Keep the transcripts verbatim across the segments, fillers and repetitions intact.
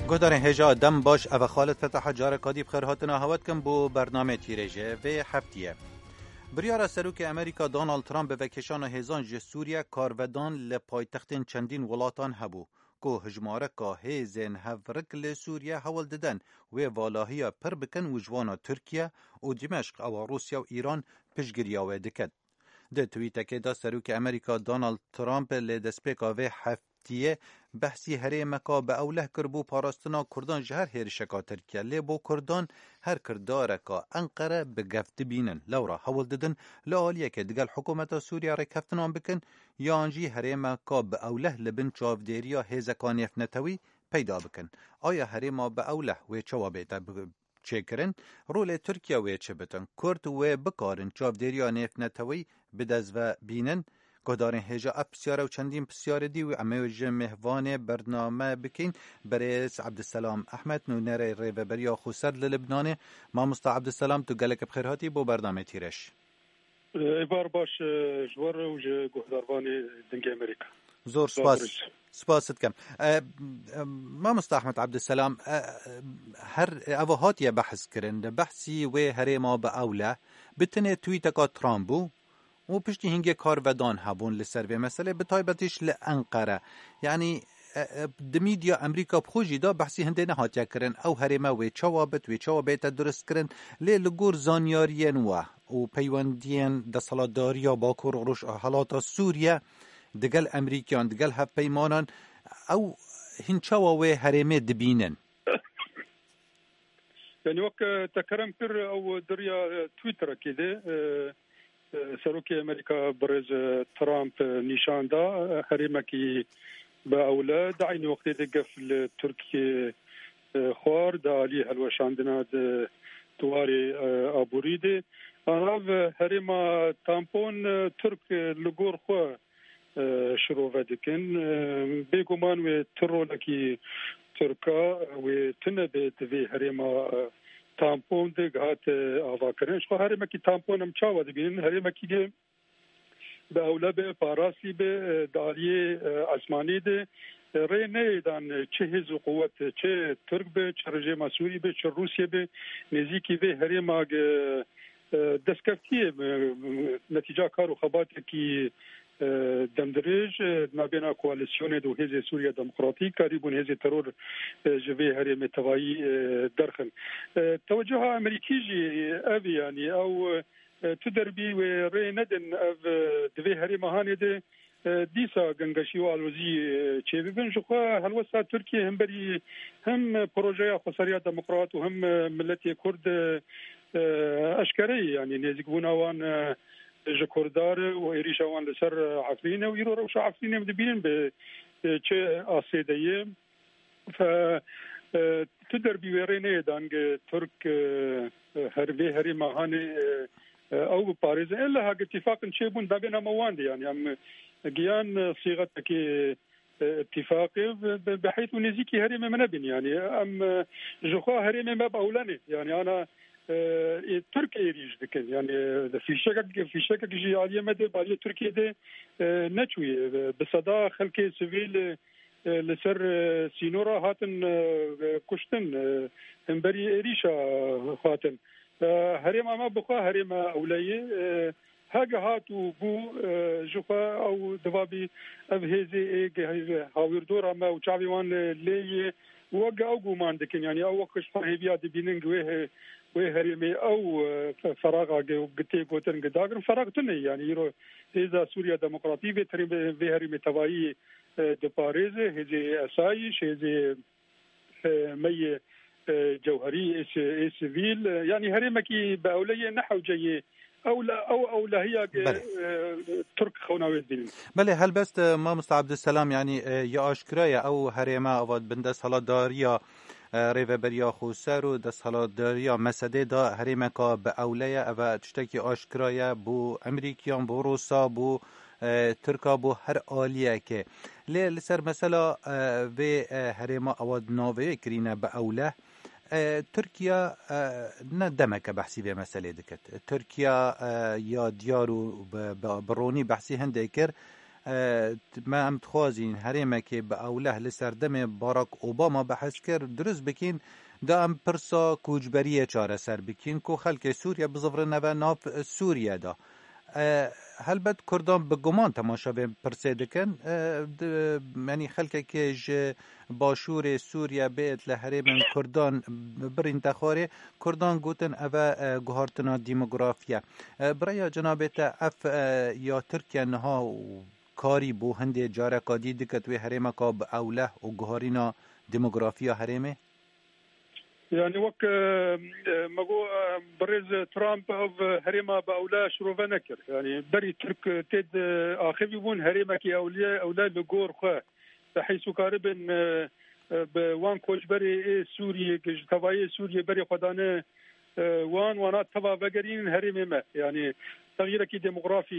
Guhdarên hêja dem baş, ev e Xalid Fetaha, careka dî bi xêr hatina hewe dikim bo bernameyê Tîrêjê vê heftiyê. Biryara Serokê Amerîka Donald Trump bi vekêşana hêzan ji Sûriye karvedan li paytextên çendîn welatan hebû, ku hijmareka hêzên hevrik li Sûriye hewl didin wê valahiya pir bikin û ji wana Tirkiye û Dimeşq, ewa Rûsya û Îran, piştgiriya wê dikin. Di twîtekê de Serokê Amerîka Donald Trump li destpêka vê heftiyê behsî herêmeka bi ewleh kir bo parastina Kurdan ji her hêrişeka Tirkiye. Lê bo Kurdan her kirdareka Enqere bi gef dibînin. Lewra hewl didin li aliyekê digel hikûmeta Sûriye rêkeftinan bikin, yan jî herêmeka bi ewleh li bin çavdêriya hêzeka nêvnetewî peyda bikin. Aya herêma bi ewleh wê çawa bête bi çêkirin? Rolê Tirkiye wê çi bitin? Kurd wê bikarin çavdêriya nêvnetewî bi dest ve bînin? Guhdarên hêja, ev pisyar û çendîn pisyarê dî wî em ê ji mêvanê bername bikîn. Berêz Ebdiselam Ehmed, nûnerê Rêveberiya Xweser li Libnanê. Mamosta Ebdiselam, tu gelek bi xêr hatî bo bernamê Tîrêj. Êvar baş, e, ji we re û ji guhdarvanê Dengê Amerîka. Zor spas. Spas dikim. E, e, Mamosta Ahmet Abdüselam, e, e, her eva hatiye behs kirin. Behsî wê herêma bi ewle, bi tinê tweeteka Trump bû û piştî hingê karvedan hebûn li ser vê meselê, bi taybetî jî li Enqere. Yanî, e, e, di media Amerîka bi xwe jî de behsî hindê nehatiye kirin. Ew herême wê çawa bit, wê çawa bête durist kirin. Lê li gor zanyariyên we û peywendiyên desthilatdariya Bakur û Rojhilata Sûriye digel Amerîkiyan, digel hevpeymanan, ew hîn çawa wê herêmê dibînin? Yani wek, e, te kerem kir, ew di riya, e, Twitterekê de, e, e, Serokê Amerîka birêz, e, Trump, e, nîşan da, e, herêmekî bi ewle, di eynî wextê de gef li Tirkiyê, e, xwar, di alî helweşandina di, di warê, e, aborî de. Anav herêma Tampon, e, Tirk, e, li gor xwe, e, şirove dikin. E, bêguman wê tu rolekî Tirka wê tune be di vê herêma, e, Tampon de hate avakirin. Ji xwe herêmekî Tampon em çawa dibînin? Herêmekî ge bi ewle be, parastî be, e, di aliyê, e, esmanî de, e, rê neyê dan, e, çi hêz û quwet, e, çi Tirk be, çi rejêma Sûrî be, çi Rûsye be, nêzîkî vê herêma ge, e, destkeftiyê, e, netîca kar û xebatekî, e, demdirêj, e, navbêna koalîsyonê de û Hêzê Sûriya Demokratîk karîbûn hêzê teror, e, ji vê herêmê tevayî, e, derxin. E, tewecuha Amerîkî jî ev e, yanî ew, e, tu derbî wê rê nedin ev, e, di vê herêma hanê de, e, dîsa gengeşî û alozî, e, çêbibin. Ji xwe helwesta Tirkiyê hemberî hem projeya Xweseriya Demokrat û hem, e, miletê Kurd, e, e, eşkere ye. Yanî nêzîkbûna wan, e, ji Kurdan re û êrîşa wan li ser, e, Efrîn e û îro rewşa Efrînê em dibînin bi, e, çi astê de ye. Fe, e, tu derbî wê rê neyê dangê Tirk, e, e, her vê herêma hanê, e, e, ew biparêzin. Ella hag îtîfaqin çêbûn, navbêna me wan de, yanî em giyan, e, sîxetekê, e, îtîfaqê bi, bi, bi heyt û nêzîkî herêmê me nebin. Yanî em, e, ji xwe herêmê me bi ewlenê. Yanî ana, e, ê Tirk êrîş dikin. Yanî, e, fîşekek, fîşekek jî aliyê me de, aliyê Tirkiyê de, e, neçûye. E, bi seda xelkê sivîl, e, e, li ser, e, sînora hatin, e, e, kuştin, e, hemberî êrîşa hatin. E, herêma me bi xwe herêma ewle ye. E, hege hat û bû, e, ji xwe ew divabî ev hêzê ê ge-, hawîrdora me û çavê wan, e, lê ye. Wek ew guman dikin, yanî ew wek ji xwe hêviya dibînin wê he-, wê herêmê ew, e, fe-, feraxa ge-, tê gotin gidagirin. Feraq tune ye, yanî îro Hêza Sûriya Demokratî vê terê-, vê herêmê tevayî e, diparêze, hêzê esayîş, hêzê, e, me yê, e, cewherî, ê si-, ê sivîl, e, yanî herêmekî bi ewle yê ne hewce yê ewle-, ew ewlehiya ge, Belê. e, Tirk xewna wê dibînin. Belê, helbest, e, mamosta Abdüselam, yanî, e, ya aşkira ye, ew herême ava bindesthilatdariya, e, Rêveberiya Xweser û desthilatdariya Mesedê de herêmeka bi ewle ye, ev e tiştekî aşkira ye bo Amerîkiyan, bo Rûsa, bo e, Tirka bo her aliyekê. Lê li ser mesela, e, vê, e, herêma ewa di navê kirîne bi ewle, e, Tirkiye, e, ne demeke behsî vê meselê dikit. Tirkiye, e, ya diyar û bi, bi, bi ronî behsî hindê kir, e, t-, me em dixwazîn herêmekê bi ewleh li serdemê Barack Obama behs kir, dirust bikîn, da em pirsa koçberiyê çareser bikîn, ku xelkê Sûriye bizivirine ve nav Sûriye de. E, helbet Kurdan bi guman temaşa vê pirsê dikin. E, di, yanî xelkekê ji başûrê Sûriye bêt li herêmên Kurdan birînte xwarê, Kurdan gotin eve, e, guhartina demografiye. E, bi rêya cenabê te ev, e, ya Tirkiye niha û karî bo hindê careka dî dikit wê herêmeka bi ewleh û guharîna demografiya herêmê? Yani wek, e, e, me got, e, birêz Trump ev herêma bi ewle şirove nekir. Yani berî Tirk tê de axivî bûn, herêmekî ewle, ewle li gor xwe. Te heysu karibin, e, e, bi wan koçberê ê Sûriyê, ji tevayê Sûriyê berê xwe dane, e, wan, wana teva vegerînin herêmê me. Yani, texyîrekî demografî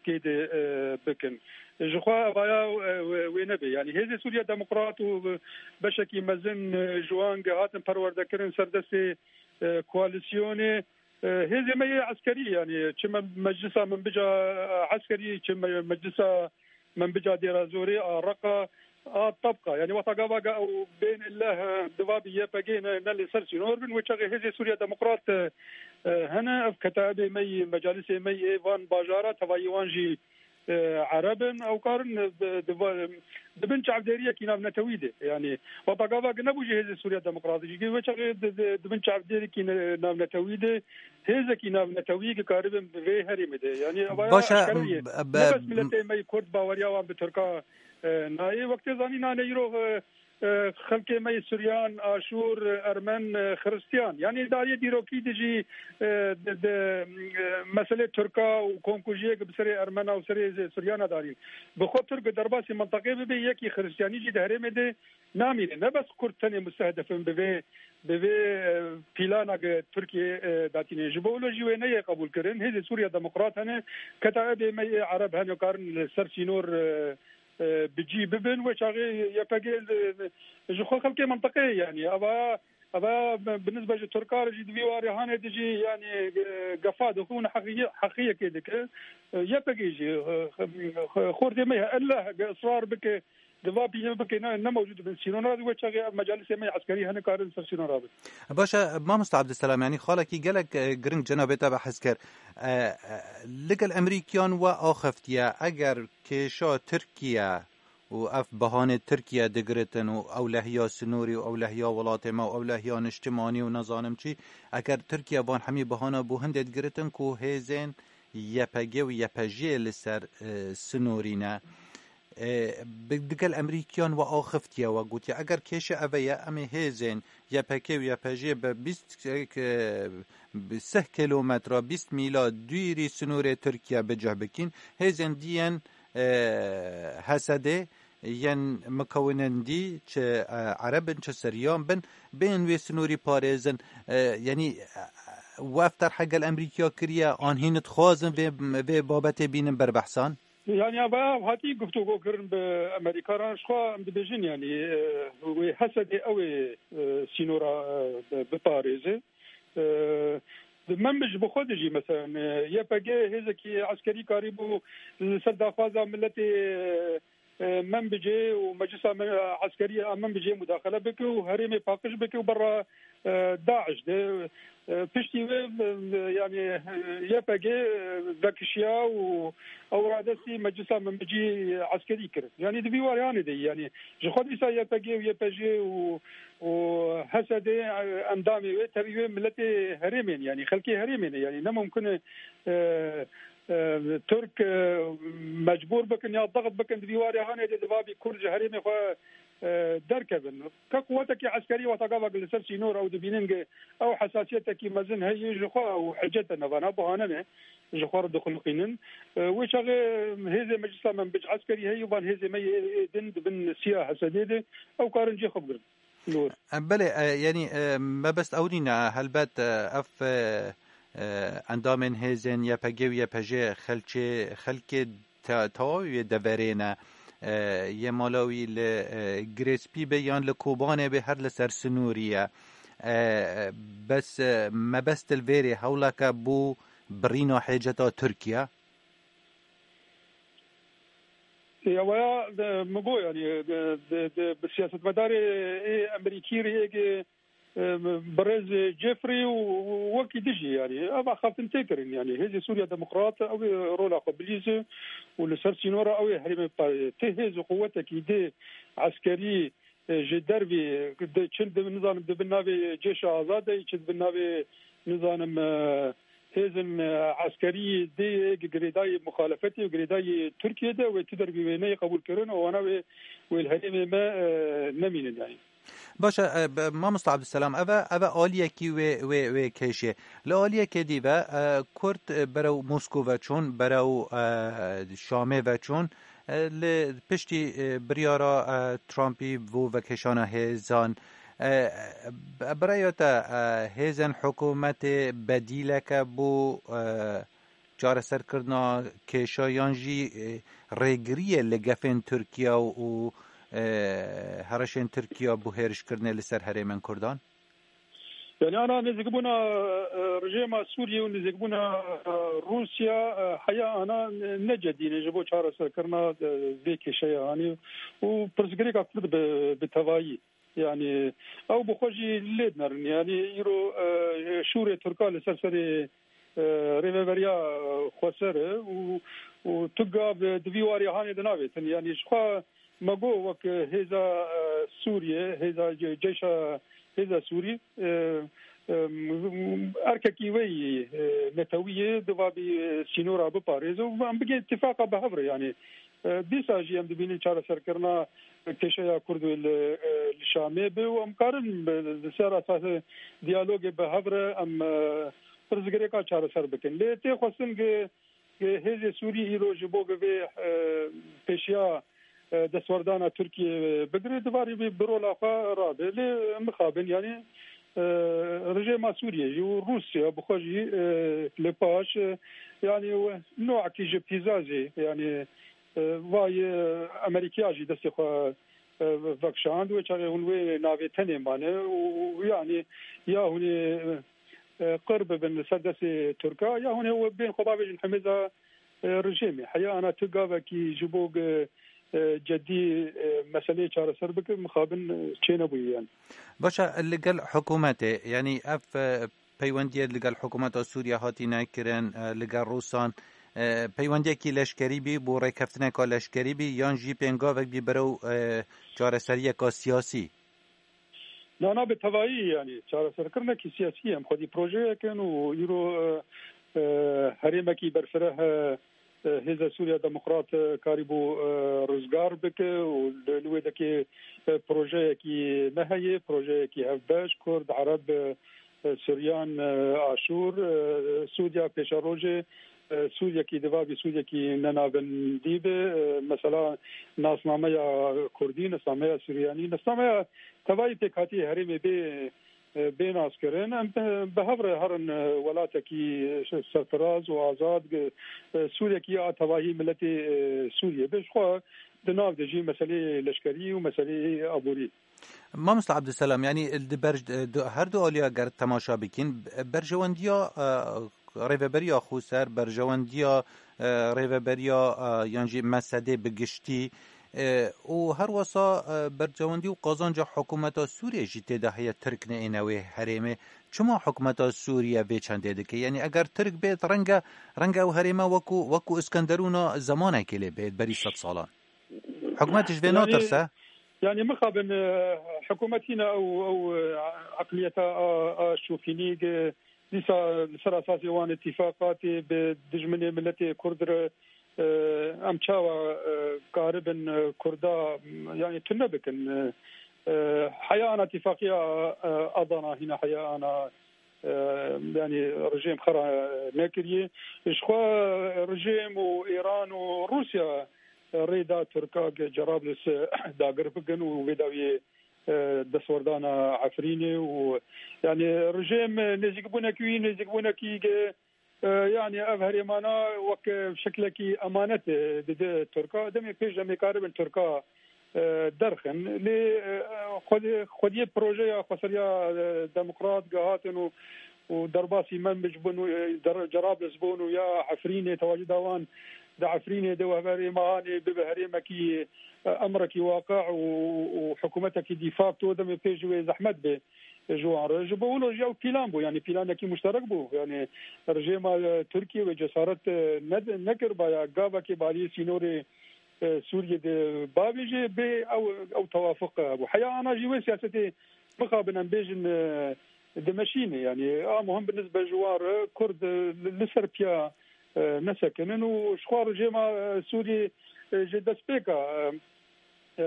tê de, e, bikin. Ji xwe evaya, e, wê, wê nebe. Yani, Hêzê Sûriya Demokrat û beşekî mezin, e, ji wan ge hatin perwerdekirin ser destê, e, koalîsyonê. E, hêzê me yê eskerî, yani, çi me-, meclisa min bica, e, eskerî, çi me-, meclisa min bica Dêra Zorê, a Reqa, a Tebqa. Yani, wexta gava ge ew bên illeh, e, diva bi Y P G ne, ne li ser sînor bin, wê çaxê Hêzê Sûriya Demokrat, e, e, hene, ev ketaibê me yî, mecalisê me yê van bajara, tevayî wan jî, e, Ereb in, ew karin, e, di, di, di bin çavdêriyekî navnetewî de. Yani, wexta gava ge nebû jî Hêzê Sûriya Demokrat, jî wê çaxê di, di, di bin çavdêriyekî ne-, navnetewî de, hêzekî navnetewî ki karibin bi vê herêmê de. Yani, evaya Baş e, eşkere ye. Ne bes miletê me yî Kurd baweriya wan bi Tirka, e, nayê. Wek tê zanîn, nane îro, e, e, xelkê me yê Suryan, Aşûr, Ermen, e, Xiristiyan. Yani, dariyê dîrokî de jî, e, de, de, e, meselê Tirka û komkujiyê ki bi serê Ermena û serê Suryana darîn. Bi xwe Tirk bi derbasî mintaqê bibe, yekî Xiristiyanî jî di herêmê de namîne. Ne bes Kurd tenê mustehdef in bi vê, bi vê, e, plana ge Tirkiye, e, datîne. Ji bo wilo jî wê neyê qebûl kirin. Hêzê Sûriya Demokrat hene, ketaibê me yê Ereb hene, karin li ser sînor, e, e, bi cî bibin. Wê çaxê Y P G li, ji xwe xelkê mintaqeyê, yani, eva, eva bi nisbe ji Tirka re jî di vî warê hanê de jî, yani, e, gefa dixwe û heqî-, heqiyekê dike. E, Y P G jî, e, xortê me ye, ella ge israr bike, di va pîlê bike, ne, ne mewcûd bin sînora, wê çaxê ev mecalisê me yê eskerî hene karin ser sînora bin. Baş e, mamosta Abdulselam, yani xalekî gelek, e, giring cenabê te behs kir. E, e, li gel Emerîkiyan we axiftiye, eger kêşa Tirkiye û ev behanê Tirkiye digiritin û ewlehiya sinûrî û ewlehiya welatê me û ewlehiya niştimanî û nezanim çi, eger Tirkiye van hemî behana bo hindê digiritin ku hêzên Y P G û Y P J li ser, e, sinûrî ne. E, bi, digel Emerîkiyan we axiftiye, we gotiye, eger kêşe eve ye, em ê hêzên Y P K û Y P J bi bîst, e, bi sih kilometre, bîst mîla dûrî sinûrê Tirkiye bi cih bikîn. Hêzên dî yên, e, H S D yên mukewinên dî, çi, e, Ereb in, çi Siryan bin, bên wê sinûrî parêzin. E, yanî, e, we ev terhe gel Emerîkiya kiriye, an hîn dixwazin vê, vê babetê bînin berbehsan? Yani, ya bayav hatî guftûgo kirin bi Emerîka re. Ji xwe em dibêjin, yani, e, wê H S D ew ê, e, sînora, e, bi-, biparêze. E, di Menbij bi xwe de jî, mesela, e, Y P G hêzekî eskerî karîbû li ser daxwaza miletê, e, e, Menbicê û meclisa me-, eskerî a Menbicê mudaxele bike û herêmê paqij bike û berra, e, DAIŞ de. E, piştî wê, e, yani, e, Y P G, e, vekişiya û ew radestî meclisa Menbicî eskerî kirin. Yani, di vî warê hanê de, yani, ji xwe dîsa Y P G û Y P J û, û H S D, e, endamê wê, tevî wê miletê herêmên, yani, xelkê herêmê ne, yani, ne mumkin e, e, e, Tirk, e, mecbûr bikin ya dixit bikin di vî warê hanê de di vabî Kurd ji herêmê xwe, e, derkevin. Ke quwetekî eskerî wexta gavek li ser sînor ew dibînin ge ew hesasiyetekî mezin heye ji xwe ew hicet e, nava ne bahane ne, ji xwe re dixuliqînin. E, wê çaxê hêzê meclisa Menbic eskerî heye, van hêzê me yê ê din di bin siya H S D de ew karin cê xwe bigirin. Nur. E, belê, e, yanî, e, mebest ew nîne, helbet, e, ev, e, e, endamên hêzên Y P G û Y P J xelçê, xelkê te-, tewawî wê deverê ne, e, yê mala wî li, e, Girêspî be yan li Kobanê be, her li ser sinûrî ye. E, bes, e, mebest li vêrê hewleke bo birîna hêceta Tirkiye? Ew ya, e, min got, yanî, e, de, de, bi siyasetmedarê ê Amerîkî rê êgê, e, birêz Jeffrey û, û wekî dijî, yanî, ev axaftin tê kirin, yanî, Hêzê Sûriya Demokrat, ew ê rola xwe bilîze û li ser sînora ew ê herêmê pa-, tê hêz û quwetekî dê eskerî, e, ji dervî, de çi di, nizanim, di bin navê Cêşa Azad de, çi di bin navê, nizanim, e, hêzên, e, eskerî dê girêdayî muxalefetê û girêdayî Tirkiyê de, wê tu dervî wê neyê qebûlkirin û wana wê, wê li herêmê me, e, nemînin, yanî. Baş e, e, be-, mamosta Abdulselam, ev e, ev e aliyekî wê, wê, wê kêşê. Li aliyekê dî ve, e, Kurd, e, berew Moskow ve çûn, berew, e, Şamê ve çûn, e, li piştî, e, biryara, e, Trumpî bo vekêşana hêzan. E, bi-, bi raya te, e, hêzên hikûmetê bedîleke bo, e, çareserkirina kêşa yan jî, e, rêgiriyê li gefên Tirkiye û, e, herişên Tirkiye bo hêrişkirinê li ser herêmên Kurdan? Yani ana nêzîkbûna, e, rejêma Sûriyê û nêzîkbûna, e, Rûsya, e, heya ana ne cedî ne ji bo çareserkirina, e, vê kêşeyê anî û pirsgirêka Kurd bi, bi tevayî. Yani ew bi xwe jî lê dinerin. Yani îro, e, şûrê Tirka li ser serê, e, rêveberiya, e, xweser e û, û tu gav, e, di vî warî hanê dinavêtin. Yani ji xwe me got wek hêza, e, Sûriyê, hêza ce-, ceyşa hêza Sûrî, e, e, erkekî wê yî, e, netewî yê, diva bî, e, sînora biparêze û em bigê îtîfaqa bi hev re. Yani, e, dîsa jî em dibînin çareserkirina kêşeya Kurd wê li, e, li Şamê be û em karin bi, li ser esasê diyalogê bi hev re em, e, pirsgirêka çareser bikin. Lê tê xwestin ki, ki hêzê Sûrî îro ji bo ki vê, e, pêşiya, e, destwerdana Tirkiyê bigire, divarî bi, bi rola xwe rabe. Lê mixabin, yani, e, rejêma Sûriyê jî û Rûsya bi xwe jî, e, li paş, e, yani, nokekî ji pîzazê, yani, e, vay, e, Amerîkiya jî destê xwe, e, vekşand, wê çaxê hûn wê navê tenê mane û, û, yani, ya hûn ê, e, qir bibin li ser destê Tirka, ya hûn ê wê bên xwe bavêjin hemêza, e, rejêmê. Heya ana tu gavekî ji bo, e, e, cedî, e, meseleyê çareser bike, mixabin, e, çênebûye, yani. Baş e, li gel hikûmetê, yani ev, e, peywendiyê li gel hikûmeta Sûriye hatî nekirin, e, li gel Rûsan, e, peywendiyekî leşkerî bî, bo rêkeftineka leşkerî bî, yan jî pêngavek bî berew, e, çareseriyeka siyasî? Na, na, bi tevayî, yani, çareserkirinekî siyasî ye. Em xwedî projeyek in û îro, e, e, herêmekî berfireh, e, e, Hêza Sûriya Demokrat, e, karîbû, e, rizgar bike û li, li wê dekê, e, projeyekî me heye, projeyekî hevbeş, Kurd, Ereb, e, e, Suryan, e, Aşûr, e, Sûriya pêşerojê, e, Sûriyekî diva bî Sûriyekî nenavendî be, e, mesela nasnameya Kurdî, nasnameya Suryanî, nasnameya tevayî pêkhatî herêmê bê, e, bê naskirin. Em, e, bi hev re herin, e, welatekî serfiraz û azad, e, Sûriyekî a tevahî miletê, e, Sûriyê be. Ji xwe di nav de jî meseleyê leşkerî û meseleyê aborî. Mamosta Abdulselam, yani di ber, di her du aliya ger temaşa bikin, berjewendiya, e, rêveberiya xweser, berjewendiya, e, rêveberiya, e, yan jî mesedê bi giştî, e, û her wesa, e, berjewendî û qazanca hikûmeta Sûriyê jî tê de heye Tirk neyêne wê herêmê. Çima hikûmeta Sûriye vê çendê dike? Yani eger Tirk bêt, renge, renge ew herême wekû, wekû Iskenderûna zemanekê lê bêt berî sed salan. Hikûmet ji vê Yani, natirse? Yani mixabin, e, hikûmet hîna ew, ew, e, eqliyeta a, a şofînî, e, dîsa li ser esasê wan îtîfaqatê bi dijminê miletê Kurd re, e, em çawa, e, karibin, e, Kurda, yani tune bikin? E, e, heya ana îtîfaqiya, e, Adana hîna heya ana, e, yani rejîm xera nekiriye. Ji xwe rejîm û Îran û Rûsya rê da Tirka ge Cerablus dagir bikin û vê dawiyê, e, destwerdana Efrînê û, yani, rejîm nêzîkbûnekî wî, nêzîkbûnekî ge, e, yani, ev herêmana wek şeklekî emanet, e, dide Tirka. Demê pêş demê karibin Tirka, e, derxin. Lê, e, xwedê, xwediyê projeya xweseriya, e, demokrat ge hatin û, û derbasî Menbic bûn û, e, der-, Cerablus bûn û ya Efrînê tewacida wan, di Efrînê de û heverê Mehanê bibe herêmekî, e, emrekî waqe û, û hikûmetekî de facto demê pê ji wê zehmet be ji wan re. Ji bo wilo jî ew pîlan bû, yanî pîlanekî muşterek bû. Yanî rejêma, e, Tirkiyê wê cesaret, e, ned-, nekiribaya gavekê bi aliyê sînorê, e, Sûriyê de bavêje bê ew, ew tewafuq hebû. Heya ana jî wê siyasetê mixabin em bêjin, e, dimeşîne. Yanî a muhim bi nisbe ji wan re Kurd, e, li, li ser piya, e, nesekinin û ji xwe rejêma, e, Sûriyê, e, ji destpêka, e, e,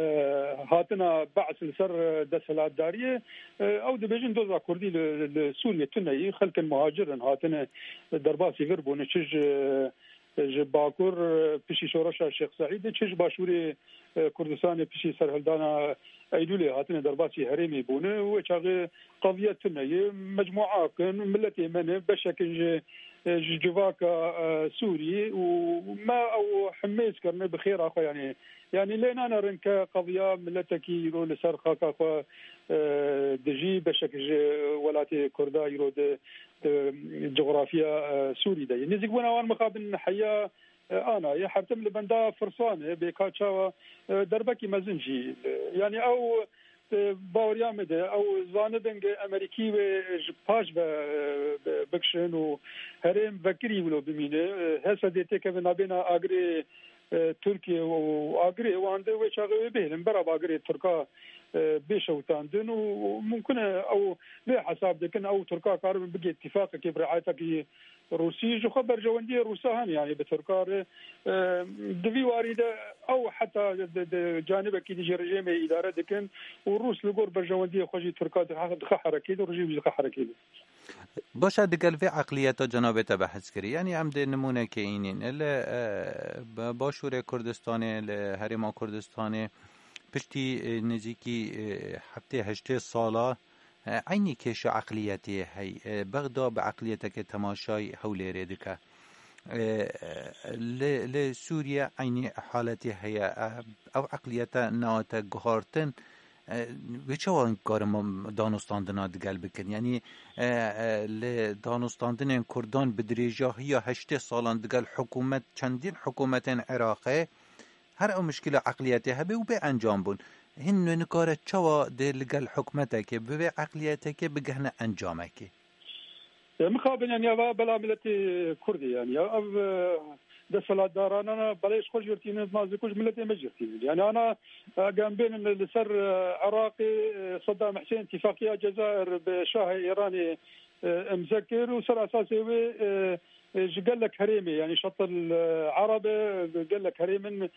hatina Be's li ser, e, desthilatdariyê, e, ew dibêjin doza Kurdî li, li Sûriyê tune ye, xelkên muhacir in, hatine derbasî vir bûne, çi ji, ji Bakur, e, piştî şoreşa Şêx Seîdê, çi ji Başûrê, e, Kurdistanê piştî serhildana Eylûlê hatine derbasî herêmê bûne. Wê çaxê qediye tune ye, mecmûa kin, miletê me ne, beşek in ji, e, ji civaka, e, Sûrî û me ew himêz kirine bi xêra xwe, yanî, yanî lê nanerin ke qediya miletekî îro li ser xaka xwe, e, dijî, beşek ji welatê Kurda îro di, di coxrafiya, e, Sûrî de ye. Nêzîkbûna wan mixabin heya, e, ana ye. Her tim li benda firsan e, bê ka çawa, e, derbekî mezin jî, e, yanî ew, e, baweriya me de, ew zanibin ge Emerîkî wê ji paş ve, e, bi-, bikişin û herêm vekirî wilo bimîne. E, Hesedê têkeve nabêna agirê, e, Tirkiye û agirê wan de wê çaxê wê bihêlin. Bera bi agirê Tirka, e, bê şewitandin û mumkin e ew vê hesab dikin, ew Tirka karibin bigê tîfaqekê bi riayetekî Rûsî. Ji xwe berjewendiyê Rûsa hene, yanî bi Tirka re, e, di vî warî de ew heta di, di canibekî dijî rejêmê îdare dikin û Rûs li gor berjewendiyê xwe jî Tirka dixe, dixe herekê de û rejîm jî dixe herekê de. Baş e, digel vê eqliyeta cenabê te behs kirî. Yanî em dê nimûnekê înîn. Li, e, ba-, Başûrê Kurdistanê, li Herêma Kurdistanê piştî, e, nêzîkî, e, heftê heştê sala, e, eynî kêşa eqliyetê hey. E, Bexda bi eqliyeteke temaşayî Hewlêrê dike. E, li, li Sûriye eynî haletê heye. E, ew eqliyete neate guhartin. E, wê çawa karin danûstandina digel bikin? Yanî, e, e, li danûstandinên Kurdan bi dirêjahiya heştê salan digel hikûmet, çendîn hikûmetên Iraqê, her ew mişkila eqliyetê hebe û bê encam bûn. Hîn wê nikare çawa dê li gel hikûmetekê, bi vê eqliyeteke bigihne encamekê? E, mixabin, yanî, eva bela miletê Kurdê, yanî, ya, ev, e, desthilatdarana belê ji xwe jî tînin, ma zî ku ji miletê me jî tînin. Yanî, ana, e, eger em bênin li ser, e, Iraqê, e, Saddam Husên îtîfaqiya Cezayir bi Şahê Îranê, e, imze kir û ser esasê wê, e, e, ji gelek herêmê, yanî Şatil, e, Ereb e, gelek herêmin, e,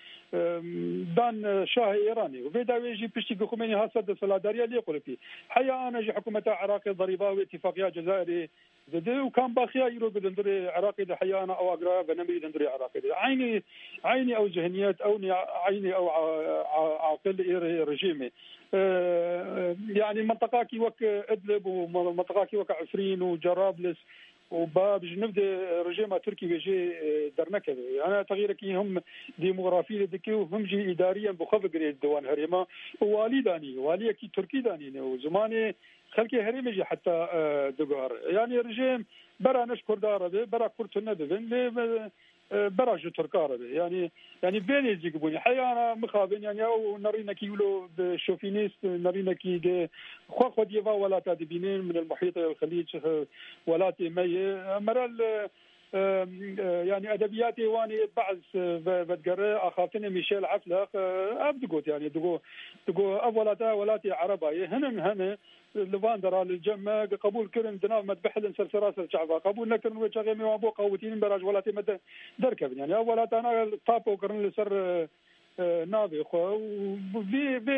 dan, e, Şahê Îranê. Û vê dawê jî piştî ku Xumênî hat ser desthilatdariya lê qulipî. Heya ana jî hikûmeta Iraqê derîba wê îtîfaqiya Cezayirê dide û kam baxiya îro bi dindurê Iraqê de heya ana ew agraya venemirî dindurê Iraqê de. Eynî, eynî ew zihniyet, ew nî-, eynî ew a-, a-, aqil ê re-, rejîmê. E, yanî mintiqakî wek Idlib û min-, mintiqakî wek Efrîn û Cerablis û Bab ji niv de rejêma Tirkî wê jê, e, dernekeve. Ana texyîrekî him demografî de dike û him jî îdariyen bi xwe vigirê di wan herêma û walî danî, waliyekî Tirkî danîne û zimanê xelkê herêmê jî heta, e, diguhere. Yanî rejêm bera ne ji Kurda re be, bera Kurd tune bibin, lê, e, e, bera ji Tirka re be. Yanî, yanî vê nêzîk bûnî. Heyana mixabin, yanî ew nerînekî wilo bi şofinîst, nerînekî de xwe xwediyê va welata dibînin, min el Muhît el Xelîc, e, welatê me ye. Em merel, e, e, e, yanî edebiyatê wan ê Be's, e, ve-, vedigere, axaftinê Michel Eflaq, e, ev digot, yanî digo, digo ev welata welatê Ereba ye. Hinin hene, li van dera li cem me qebûl kirin, di nav me dibihilin ser seraser çava. Qebûl nekirin, wê çaxê me wan bo qawitînin bera ji welatê me de derkevin. Yanî ev welatana tapo kirin li ser, e, e, navê xwe û vî, vê,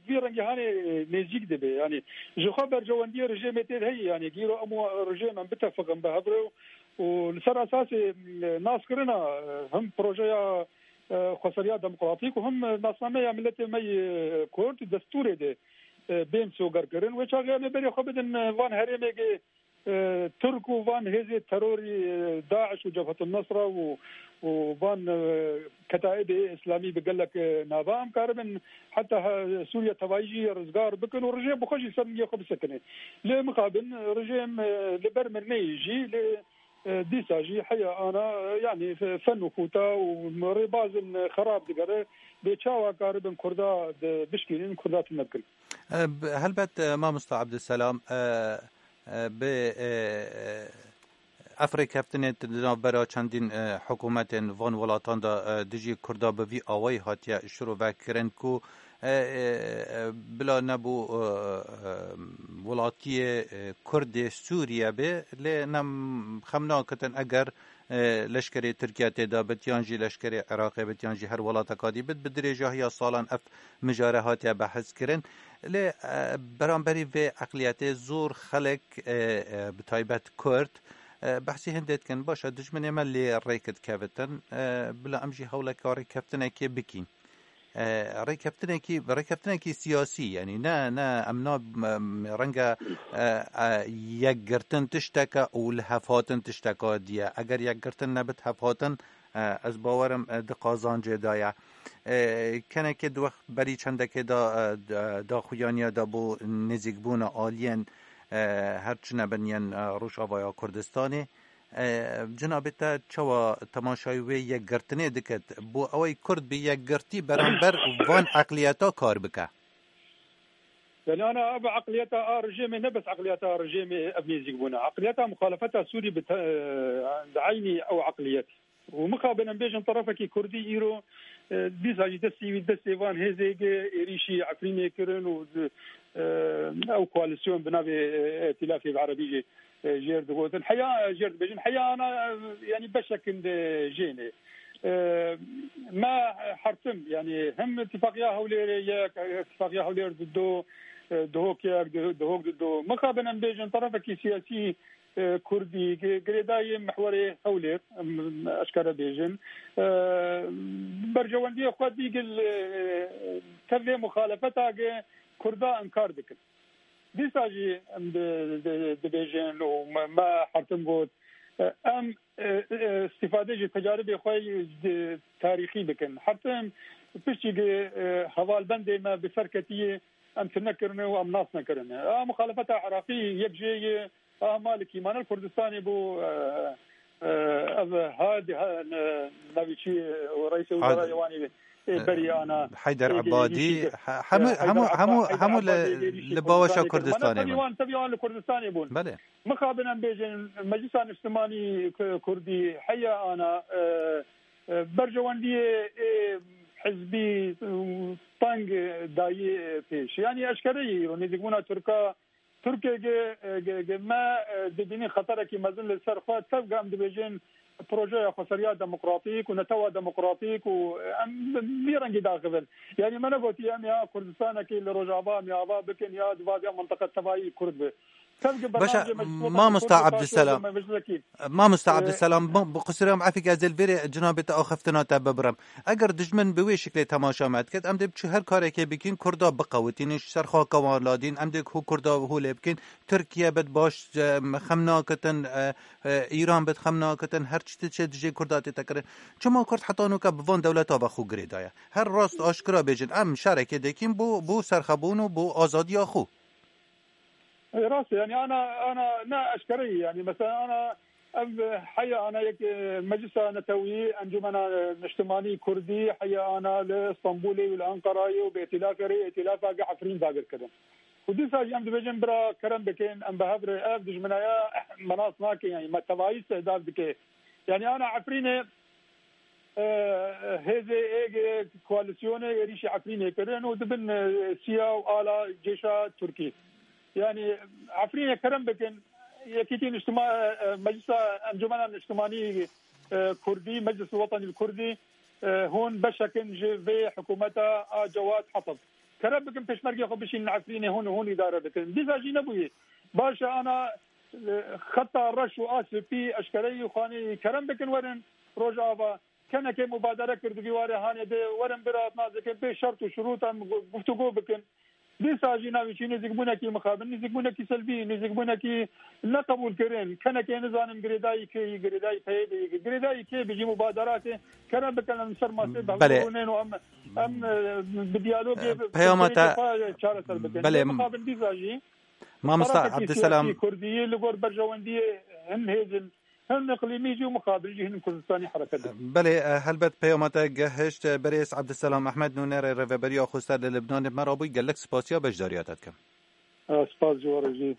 vî rengî hanê nêzîk dibe. Yanî ji xwe berjewendiyê rejêmê tê de heye. Yanî gîro em û rejêm em bitefiqin bi hev re û li ser esasê, e, naskirina, e, him projeya, e, xweseriya demokratîk û him nasnameya miletê me yê Kurd destûrê de, e, bên sogerkirin. Wê çaxê em ê berê xwe bidin, e, van herêmê ke, e, Tirk û van hêzê terorî, e, DAIŞ û Cebhetun Nusra û, û van, e, ketaîbê Îslamî bi gelek, e, nava em karibin heta he-, Sûriye tevayî jî rizgar bikin û rejêm bi xwe jî ser niyê xwe bisekine. Lê mixabin rejêm, e, li ber min neyê jî, lê E, dîsa jî heya ana, e, yanî fe-, fen û xuta û rêbazin xerab digere, bê çawa karibin Kurda di bişkînin, Kurda tune bikin. E, b-, helbet, e, mamosta Abdulselam, e, e, bi, e, e, ev rêkeftinê di navbera çendîn, e, hikûmetên van welatan de, e, dijî Kurda bi vî awayî hatiye şirovekirin ku, e, e, e, bila nebû, e, e, welatiyê, e, Kurdê Sûriye be, lê nem xem nakitin eger, e, leşkerê Tirkiye tê de bit, yan jî leşkerê Iraqê bit, yan jî her welateka dî bit, bi dirêjahiya salan ev mijare hatiye behs kirin. Lê, e, beramberî vê eqliyetê zor xelk, e, e, bi taybet Kurd, e, behsî hindê dikin, baş e, dijminê me lê rêk dikevitin, e, bila em jî hewleka rêkeftinekê bikîn. E, rêkeftinekî, rêkeftinekî siyasî, yanî ne, ne, em na, em, renge, e, e, yekgirtin tişteke û lihevhatin tişteka diye. Eger yekgirtin nebit hevhatin, e, ez bawerim, e, di qazancê de ye. E, kenekê di wext berî çendekê de, e, d-, daxuyaniya de bo nêzîkbûna aliyên, e, her çi nebin yên, e, Rojavaya Kurdistanê. E, cinabê te çawa temaşayî wê yekgirtinê dikit? Bo ew ê Kurd bi yekgirtî beramber van eqliyeta kar bike? Yani ana ev eqliyeta a rejêmê ne bes eqliyeta a rejêmê ev nêzîkbûna. Eqliyeta muxalefeta Sûrî bi te, e, di eynî ew eqliyet. Û mixabin em bêjin terefekî Kurdî îro, e, dîsa jî destî wî destê van hêzê ge êrîşî Efrînê kirin û di, e, ew koalîsyon bi navê, e, Îtîlafê bi Erebî jî, e, jêr digotin. Heya, e, jêr dibêjin. Heya ana, e, yanî beşekin de jênê. E, me hertim, yanî hem Îtîfaqiya Hewlêrê yek, e, Îtîfaqiya Hewlêr dido, e, Duhok yek, Duhok dido. Mixabin em bêjin terefekî siyasî e, Kurdî, gi-, girêdayî mihwerê Hewlêr, em, eşkere bêjin. E, berjewendiyê xwe dî gil, e, tevê muxalefeta gi Kurda inkar dikin. Dîsa jî em di-, di-, dibêjin û me, me hertim got, e, em, e, e, îstîfade ji tecaribê xwe di tarîxî bikin. Hertim piştî gi, e, hevalbendê me bi ser ketiyê em tune kirine û em nas nekirine. A muxalefeta Iraqî yek jê ye, A Malikî, Manel Kurdistanê bû, e, e, ev Hadi, ha, ne, navî çi, e, reîsê wezarayê wanî, e, berî ana, Heyder Ebadî, he-, hemû, hemû, hemû, hemû li, li baweşa Kurdistanê bûn. Tevî wan li Kurdistanê bûn. Belê. Mixabin em bêjin, Meclisa Niştimanî K-, Kurdî, heya ana, e, e, berjewendiyê, e, hizbî, e, teng dayî pêş. Yanî eşkere yî, nêzîkbûna Tirka, Tirkiyê ge, ge, ge me, e, dibînî xeterekî mezin li ser xwe. Tevge em dibêjin projeya xweseriya demokratîk û netewa demokratîk û em bi vî rengî daxivin. Yanî me negotiye em ya Kurdistanekî li Rojava em ya ava bikin ya di vadiya mintiqe tevayî Kurd bi. Tevge Baş e, bernamecê meclis watan mamosta Kurd, Abdüselam. Meclisekî. Mamosta Ee, Abdüselam, ma-, bi qusûrê em efîk ez ê li vê rê cinabê te axiftina te bibirim. Eger dijmin bi wê şiklê temaşa me dikit, em dê biçû her karekê bikîn, Kurda biqewitînin, ji ser xaka wan ladîn, em dê ku Kurda holê bikîn, Tirkiye bit baş, e, xem nakitin, e, e, Îran bit xem nakitin, her çi diçe dijê Kurda tête kirin. Çima Kurd heta nûke bi van dewleta ve xwe girê daye? Her rast aşkira bêjin, em şerekê dikîn bo, bo serxebûn û bo azadiya xwe. E, rast e, yani ana, ana ne eşkere ye, yani mesela ana ev heya ana yek, e, Meclisa Netewî, Encumena, e, Niştimanî Kurdî, heya ana li Stenbolê û li Enqerayê û bi îtîlafê rê îtîlafa gi Efrîn dagir kirin. Û dîsa jî em dibêjin bira kerem bikin, em bi hev re ev dijminaya me nas nakin, yani me tevayî istihdaf dike. Yani ana Efrînê, e, hêzê êgê koalîsyonê êrîşî Efrînê kirin û dibin, e, siya û ala cêşa Tirkî. Yani Efrînê kerem bikin, Yekîtî Niştima-, e, e, Meclisa Encumena Niştimanî, e, Kurdî, Meclis Wetanî Kurdî, e, hûn beşekin ji vê hikûmeta a Cewad Hetab. Kerem bikin pêşmergê xwe bişînin Efrînê hûn, hûn îdare bikin. Dîsa jî nebûyî. Baş e ana, e, xeta reş û a spî eşkereyî xanî kerem bikin werin Rojava. Kenekê mubadere kir di vî warê hanê de werin bira nazikê bê şert û şurût em gu-, guftûgo bikin. Dîsa jî navî çî nêzîkbûnekî mixabin, nêzîkbûnekî selvî, nêzîkbûnekî neqebûlkirin. Kenekê nizanim girêdayî kê yî, girêdayî peyê de yî, girêdayî kê bi jî mubadera kê kerem bikin em ser masê Belê. Behbûrûnên û em, em, e, bi diyalogê, E, bi peyama te çareser bikin. Belê. Lê mixabin dîsa jî Mamosta tarafekî Abdüselam. Siyasî Kurdî li gor berjewendiyê hin hêzin Hem iqlîmî jî û muqabil jî hin Kurdistanê hereket dikin. Belê, e, helbet peyama te gehişt, e, berêz Abdüselam Ahmed, nûnerê Rêveberiya Xweser li Libnanê me rabûy, gelek spasiya beşdariya te dikim. E, spas ji we re jî.